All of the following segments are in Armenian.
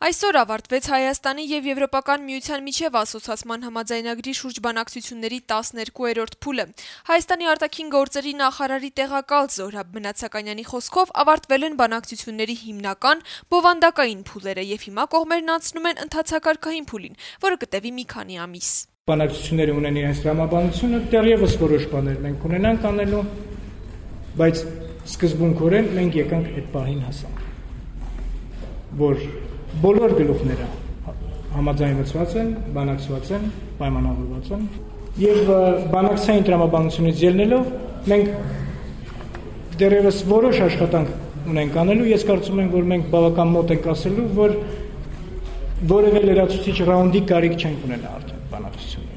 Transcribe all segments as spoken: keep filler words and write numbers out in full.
Այսօր ավարտվեց Հայաստանի եւ Եվրոպական միության միջև ասոցիացման համաձայնագրի շուրջ բանակցությունների տասներկուերորդ փուլը։ Հայաստանի արտաքին գործերի նախարարի տեղակալ Զոհրաբ Մնացականյանի խոսքով ավարտվել են բանակցությունների հիմնական բովանդակային փուլերը եւ հիմա կողմերն անցնում են ընթացակարգային փուլին, որը կտևի մի քանի ամիս։ Բանակցությունները ունեն իրենց տրամաբանությունը, դեռևս որոշ բաներ մենք ունենանք անելու, բայց սկզբունքորեն մենք եկանք այդ պահին հասանք, որ բոլոր գլուխները համաձայնված են, բանակցված են, պայմանավորված են եւ բանակցային տրամաբանությունից ելնելով մենք դեռևս որոշ աշխատանք ունենք անելու, ես կարծում եմ, որ մենք բավական մոտ ենք ասելու, որ որևէ լրացուցիչ ռաունդի կարիք չենք ունենա արդեն բանակցությունների։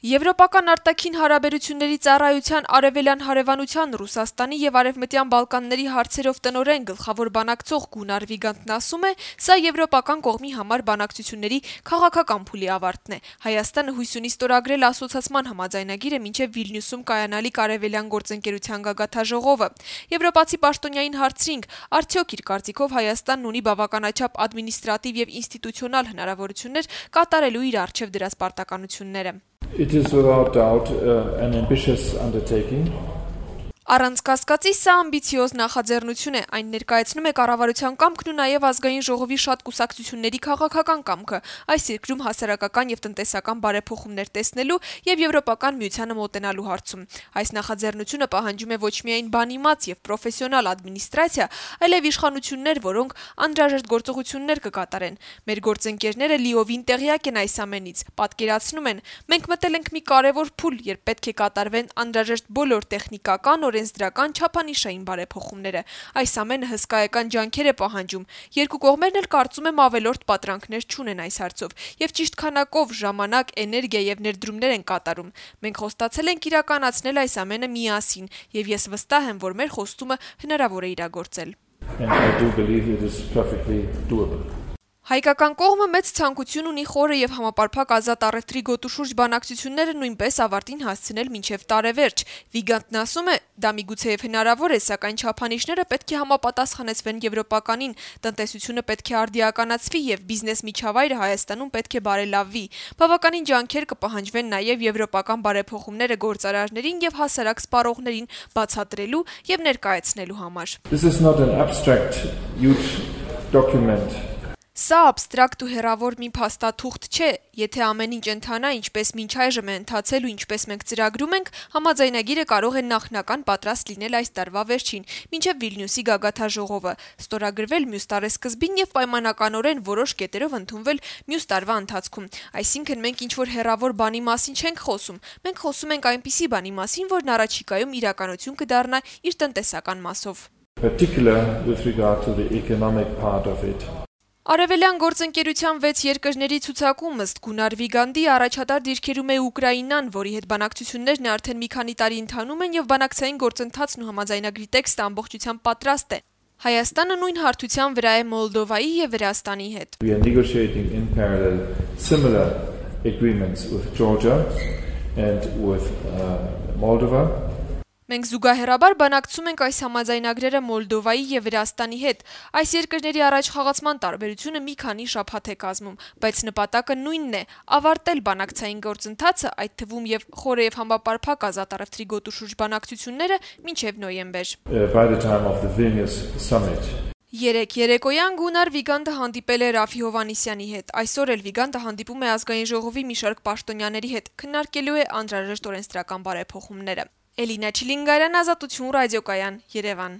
Եվրոպական արտաքին հարաբերությունների ծառայության արևելյան հարևանության Ռուսաստանի եւ Արևմտյան Բալկանների հարցերով տնօրեն գլխավոր բանակցող Գունար Վիգանտն ասում է, սա եվրոպական կողմի համար բանակցությունների քաղաքական փուլի ավարտն է։ Հայաստանը հույս ունի ստորագրել ասոցիացման համաձայնագիրը մինչեւ Վիլնյուսում կայանալիք արևելյան գործընկերության գագաթաժողովը։ Եվրոպացի պաշտոնյային հարցրինք, արդյոք իր կարծիքով Հայաստանն ունի բավականաչափ ադմինիստրատիվ եւ ինստիտուցիոնալ հնարավորություններ կատարելու իր առջեւ դրած պարտականությունները։ It is without doubt uh, an ambitious undertaking. Առանց կասկածի սա ամբիցիոզ նախաձեռնություն է, այն ներկայացնում է կառավարության կամքն ու նաև ազգային ժողովի շատ կուսակցությունների քաղաքական կամքը, այս երկրում հասարակական եւ տնտեսական բարեփոխումներ տեսնելու եւ եվրոպական միությանը մոտենալու հարցում։ Այս նախաձեռնությունը պահանջում է ոչ միայն բանիմաց եւ պրոֆեսիոնալ ադմինիստրացիա, այլև իշխանություններ, որոնք անհրաժեշտ գործողություններ կկատարեն։ Մեր գործընկերները լիովին տեղյակ են այս ամենից, պատկերացնում են, մենք մտել ենք մի կարևոր փուլ, երբ պետք է կատարվեն անհրաժեշտ բոլոր տեխնիկական օրենսդրական չափանիշային բարեփոխումները։ Այս ամենը հսկայական ջանքեր է պահանջում։ Երկու կողմերն էլ կարծում եմ ավելորդ պատրանքներ չունեն այս հարցով եւ ճիշտ քանակով ժամանակ, էներգիա եւ ներդրումներ են կատարում։ Մենք խոստացել ենք իրականացնել այս ամենը միասին եւ ես վստահ եմ, որ մեր խոստումը հնարավոր է իրագործել։ And I do believe it is perfectly doable. Հայկական կողմը մեծ ցանկություն ունի խորը եւ համապարփակ ազատ առևտրի գոտու շուրջ բանակցությունները նույնպես ավարտին հասցնել մինչեւ տարեվերջ։ Վիգանտն ասում է, դա միգուցեև հնարավոր է, սակայն չափանիշները պետք է համապատասխանեցվեն եվրոպականին, տնտեսությունը պետք է արդիականացվի եւ բիզնես միջավայրը Հայաստանում պետք է բարելավվի։ Բավականին ջանքեր կպահանջվեն նաեւ եվրոպական բարեփոխումները գործարարներին եւ հասարակ սպառողներին բացատրելու եւ ներկայացնելու համար։ This is not an abstract huge document. Սա абստրակտ ու հեռավոր մի փաստաթուղթ չէ, եթե ամեն ինչ ընթանա, ինչպես մինչ այժմ է ընթացել ու ինչպես մենք ծրագրում ենք, համաձայնագիրը կարող է նախնական պատրաստ լինել այս տարվա վերջին, մինչև Վիլնյուսի գագաթաժողովը, ստորագրվել մյուս տարեսկզբին եւ պայմանականորեն որոշ կետերով ընդունվել մյուս տարվա ընթացքում։ Այսինքն մենք ինչ-որ հեռավոր բանի մասին չենք խոսում, մենք խոսում ենք այնպիսի բանի մասին, որն առաջիկայում իրականություն կդառնա իր տնտեսական մասով։ Particular with regard to the economic part of it. Արևելյան գործընկերության վեց երկրների ցուցակում ըստ Գունար Վիգանդի առաջատար դիրքերում է Ուկրաինան, որի հետ բանակցություններն արդեն մի քանի տարի ընթանում են եւ բանակցային գործընթացն ու համաձայնագրի տեքստը ամբողջությամբ պատրաստ է։ Հայաստանը նույն հարթության վրա է Մոլդովայի եւ Վրաստանի հետ։ We are negotiating in parallel similar agreements with Georgia and with uh, Moldova. Մենք զուգահեռաբար բանակցում ենք այս համաձայնագրերը Մոլդովայի եւ Վրաստանի հետ։ Այս երկրների առաջխաղացման տարբերությունը մի քանի շաբաթ է կազմում, բայց նպատակը նույնն է՝ ավարտել բանակցային գործընթացը, այդ թվում եւ խորը եւ համապարփակ ազատ առևտրի գոտու շուրջ բանակցությունները մինչեւ նոյեմբեր։ By the time of the Vilnius summit. Երեք երեկոյան Գունար Վիգանտը հանդիպել է Ռաֆի Հովհաննիսյանի հետ։ Այսօր էլ Վիգանտը հանդիպում է ազգային ժողովի մի շարք պաշտոնյաների հետ, քննարկելու է անհրաժեշտ օրենսդրական բարեփոխումները։ Էլինա Չիլինգարյան, Ազատություն ռադիոկայան, Երևան։